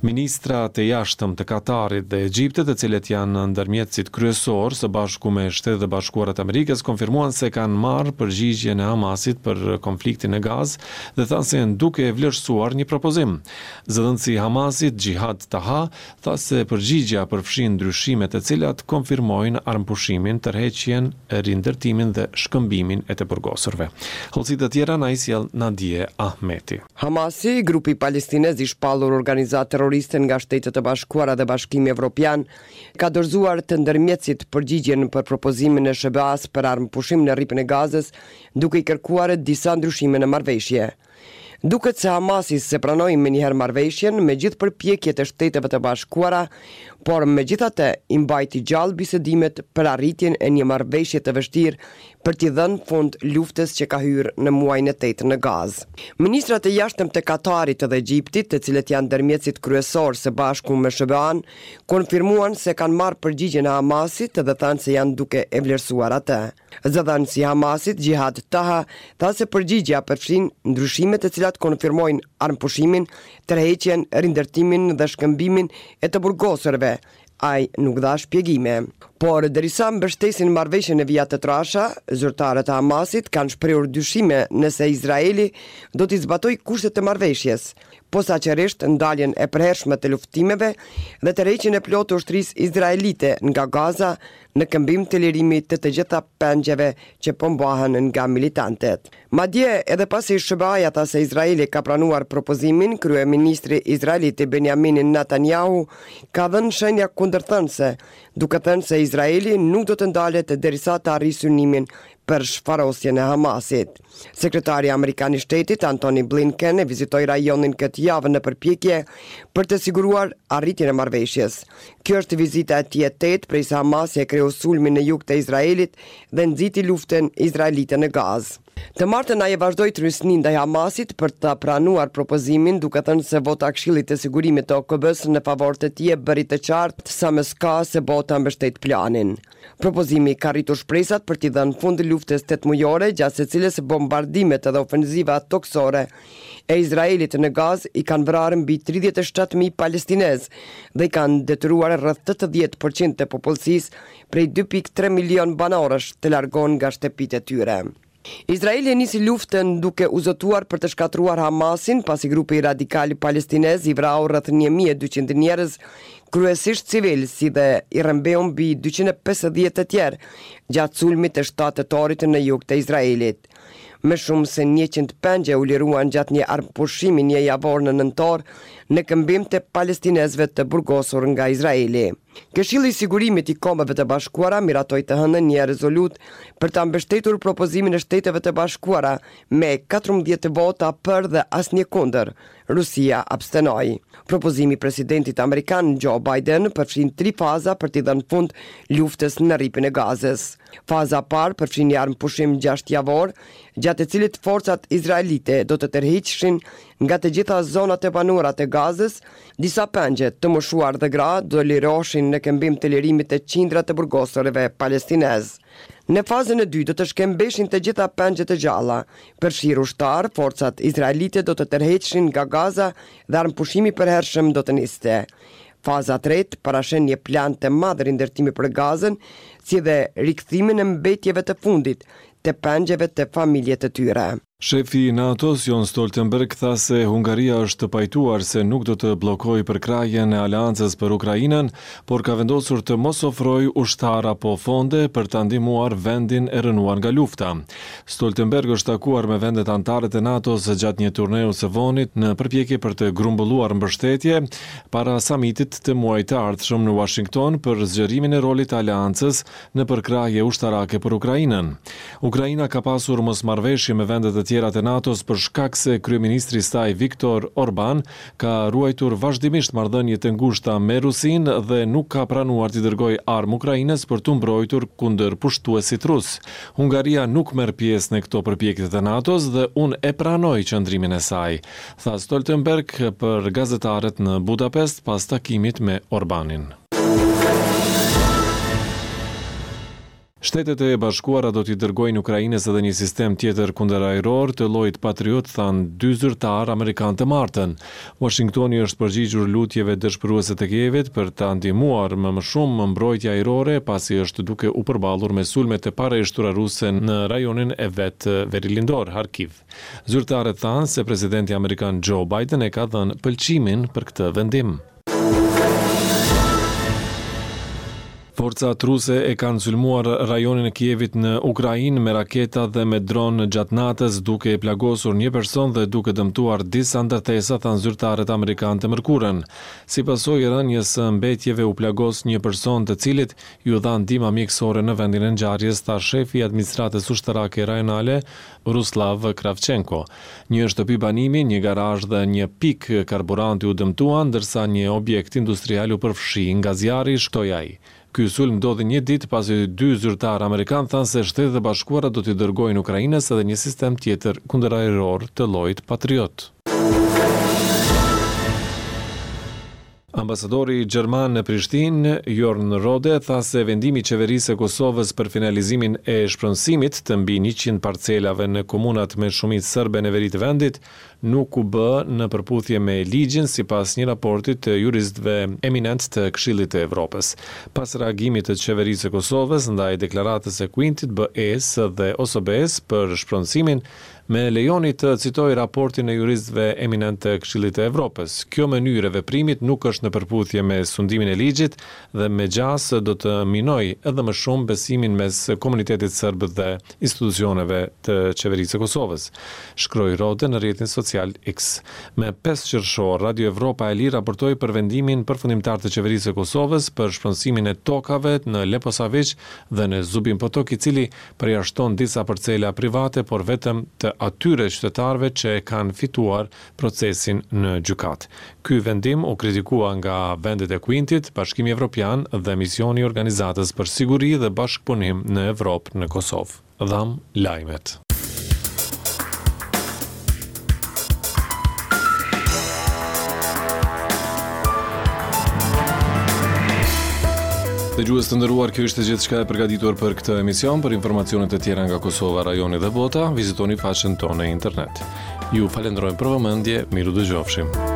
Ministrat e Jashtëm të Katarit dhe Egjiptit, të cilët janë ndërmjetësit kryesorë, së bashku me Shtetet e Bashkuara të Amerikës, konfirmuan se kanë marrë përgjigjen e Hamasit për konfliktin në Gazë dhe thanë se janë duke e vlerësuar një propozim. Zëdhënësi i Hamasit, Xhihad Taha, tha se përgjigjja përfshin ndryshime të cilat konfirmojnë armëpushimin, tërheqjen, rindërtimin dhe shkëmbimin e të burgosurve. Hollësi të tjera na i sjell Nadie Ahmeti. Hamasi, grupi palestinez i shpallur organizatë terroriste nga Shtetet e Bashkuara dhe Bashkimi Evropian, ka dorëzuar te ndërmjetësit përgjigjen për propozimin e SHBA-së për armëpushim në Rripin e Gazës, duke i kërkuar disa ndryshime në marrëveshje. Duket se Hamasi s'e pranoi menjëherë marrëveshjen, me gjithë përpjekjet e Shteteve të Bashkuara, por megjithatë i mbajti gjallë bisedimet për arritjen e një marrëveshje të vështirë për t'i dhënë fund luftës që ka hyrë në muajin e tetë në Gazë. Ministrat e Jashtëm të Katarit dhe Egjiptit, të cilët janë ndërmjetësit kryesorë së bashku me SHBA-në, konfirmuan se kanë marrë përgjigjen e Hamasit dhe thanë se janë duke e vlerësuar atë. Zëdhënësi i Hamasit, Xhihad Taha, tha se përgjigjja përfshin ndryshime të cilat konfirmojnë armëpushimin, tërheqjen, rindërtimin dhe shkëmbimin e të burgosurve, Ai nuk dha shpjegime. Por, derisa mbështesin marrëveshjen në vija të trasha, zyrtarët e Hamasit kanë shprehur dyshime nëse Izraeli do t'i zbatojë kushtet e marrëveshjes, posaçërisht ndaljen e përhershme të luftimeve dhe tërheqjen e plotë të ushtrisë izraelite nga Gaza në këmbim të lirimit të të gjitha pengjeve që po mbahen nga militantët. Madje, edhe pasi SHBA-ja tha se Izraeli ka pranuar propozimin, kryeministri izraelit Benjamin Netanyahu ka dhënë shenja kundërthënëse, duke thënë se Izraeli nuk do të ndalet derisa të arrijë synimin për shfarosjen e Hamasit. Sekretari amerikan i Shtetit, Antony Blinken, e vizitoi rajonin këtë javë në përpjekje për të siguruar arritjen e marrëveshjes. Kjo është vizita e tij e tetë prej se Hamasi e kreu sulmin në jug të Izraelit dhe nxiti luftën izraelite në Gazë. Të martën ai e vazhdoi trysninë ndaj Hamasit për ta pranuar propozimin, duke thënë se vota e Këshillit të Sigurimit të OKB-së në favor të tij e bëri të qartë sa më s'ka se bota mbështet planin. Propozimi ka rritur shpresat për t'i dhënë fund luftës tetëmujore, gjatë së cilës bombardimet dhe ofenziva tokësore e Izraelit në Gazë i kanë vrarë mbi 37.000 palestinezë dhe i kanë detyruar rreth 80 për qind të popullsisë prej 2.3 milionë banorësh të largohen nga shtëpitë e tyre. Izraeli e nisi luftën duke u zotuar për të shkatërruar Hamasin, pasi grupi radikal palestinez i vrau rreth 1200 njerëz, kryesisht civilë, si dhe i rrëmbeu mbi 250 të tjerë gjatë sulmit të 7 tetorit në jug të Izraelit. Më shumë se 100 pengje u liruan gjatë një armëpushimi një javor në nëntor në këmbim të palestinezëve të burgosur nga Izraeli. Këshilli i Sigurimit i Kombeve të Bashkuara miratoi të hënën një rezolutë për ta mbështetur propozimin e Shteteve të Bashkuara me 14 vota për dhe asnjë kundër. Rusia abstenoi. Propozimi i presidentit amerikan Joe Biden përfshin tri faza për t'i dhënë fund luftës në Rripin e Gazës. Faza e parë përfshin një armëpushim 6 javor, gjatë të cilit forcat izraelite do të tërhiqeshin nga të gjitha zonat e banuara të Gazës, disa pengje, të moshuar dhe gra, do liroheshin në këmbim të lirimit të qindra të burgosurve palestinezë. Në fazën e dytë do të shkëmbeshin të gjitha pengjet e gjalla, përfshirë ushtarë, forcat izraelite do të tërhiqeshin nga Gaza dhe armëpushimi i përhershëm do të niste. Faza e tretë parasheh një plan të madh rindërtimi për Gazën, si dhe rikthimin e mbetjeve të fundit të pengjeve te familjet e tyre. Shefi i NATO-s, Jens Stoltenberg, tha se Hungaria është pajtuar se nuk do të bllokojë përkrahjen e aleancës për Ukrainën, por ka vendosur të mos ofrojë ushtarë apo fonde për ta ndihmuar vendin e rrënuar nga lufta. Stoltenberg është takuar me vendet anëtare të NATO-s gjatë një turneu së vonit në përpjekje për të grumbulluar mbështetje para samitit të muajit të ardhshëm në Uashington për zgjerimin e rolit të aleancës në përkrahje ushtarake për Ukrainën. Ukraina ka pasur mosmarrëveshje me vendet e tjera të NATO-s për shkak se kryeministri i saj Viktor Orban ka ruajtur vazhdimisht marrëdhënie të ngushta me Rusinë dhe nuk ka pranuar t'i dërgojë armë Ukrainës për t'u mbrojtur kundër pushtuesit rus. Hungaria nuk merr pjesë në këto përpjekje të NATO-s dhe unë e pranoj qëndrimin e saj, tha Stoltenberg për gazetarët në Budapest pas takimit me Orbanin. Shtetet e Bashkuara do t'i dërgojnë Ukrainës edhe një sistem tjetër kundërajror të llojit Patriot, thanë dy zyrtarë amerikanë të martën. Uashingtoni është përgjigjur lutjeve dëshpëruese të Kievit për ta ndihmuar me më shumë mbrojtje ajrore, pasi është duke u përballur me sulme të pareshtura ruse në rajonin e vet verilindor, Harkiv. Zyrtarët thanë se presidenti amerikan Joe Biden e ka dhënë pëlqimin për këtë vendim. Forcat ruse e kanë sulmuar rajonin e Kievit në Ukrainë me raketa dhe me dronë gjatë natës, duke e plagosur një person dhe duke dëmtuar disa ndërtesa, thanë zyrtarët amerikanë të mërkurën. Si pasojë e rënies së mbetjeve u plagos një person të cilit iu dha ndihma mjekësore në vendin e ngjarjes, tha shefi i administratës ushtarake rajonale, Ruslav Kravchenko. Një shtëpi banimi, një garazh dhe një pikë karburanti u dëmtuan, ndërsa një objekt industrial u përfshi nga zjarri, shtoi ai. Ky sulm ndodhi një ditë pasi dy zyrtarë amerikanë thanë se Shtetet e Bashkuara do t'i dërgojnë Ukrainës edhe një sistem tjetër kundërajror të llojit Patriot. Ambasadori gjerman në Prishtinë, Jorn Rohde, tha se vendimi i Qeverisë së Kosovës për finalizimin e shpronësimit të mbi 100 parcelave në komunat me shumicë serbe në veri të vendit, nuk u bë në përputhje me ligjin, sipas një raporti të juristëve eminentë të Këshillit të Evropës. Pas reagimit të Qeverisë së Kosovës ndaj deklaratës së Quintit, BE-së dhe OSBE-së për shpronësimin, Më lejoni të citoj raportin e juristëve eminentë të Këshillit të Evropës. Kjo mënyrë e veprimit nuk është në përputhje me sundimin e ligjit dhe me gjasë do të minojë edhe më shumë besimin mes komunitetit serb dhe institucioneve të Qeverisë së Kosovës, shkroi Rohde në rrjetin social X. Me 5 qershor, Radio Evropa e Lirë raportoi për vendimin përfundimtar të Qeverisë së Kosovës për shpronësimin e tokave në Leposaviq dhe në Zubin Potok, i cili përjashton disa parcela private, por vetëm të atyre qytetarëve që e kanë fituar procesin në gjykatë. Ky vendim u kritikua nga vendet e Quintit, Bashkimi Evropian dhe misioni i Organizatës për Siguri dhe Bashkëpunim në Evropë në Kosovë. Dhamë lajmet. Dëgjues të nderuar, kjo ishte gjithçka e përgatitur për këtë emision. Për informacione të tjera nga Kosova, rajoni dhe bota, vizitoni faqen tonë në internet. Ju falenderojmë për vëmendje, mirudëgjofshim.